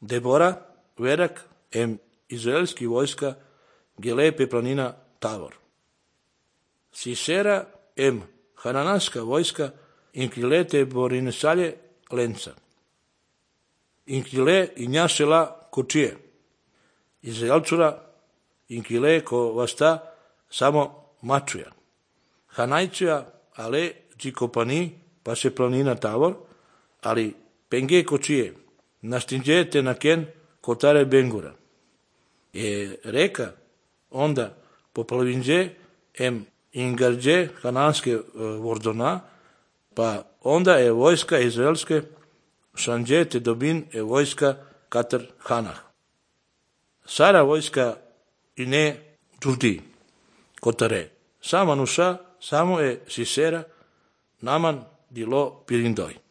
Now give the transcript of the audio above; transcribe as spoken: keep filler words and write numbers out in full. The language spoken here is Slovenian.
Debora, verak, em izraelski vojska, gelepe planina Tavor. Sisera, em hananaska vojska, inkilete borinesalje lenca. Inkile injašela kočije. Izraelčura, inkile ko vasta samo mačuja. Hanajčuja, ale džikopani, pa se planina Tavor, ali penge kočije, nastinđete na ken kotare bengura. Je reka onda poplavinđe em ingarđe hananske vordona, pa onda je vojska izraelske šanđete dobin je vojska katar hanah. Sara vojska i ne džudi kotare. Sama nuša, samo je Sisera, naman dilo pirindoj.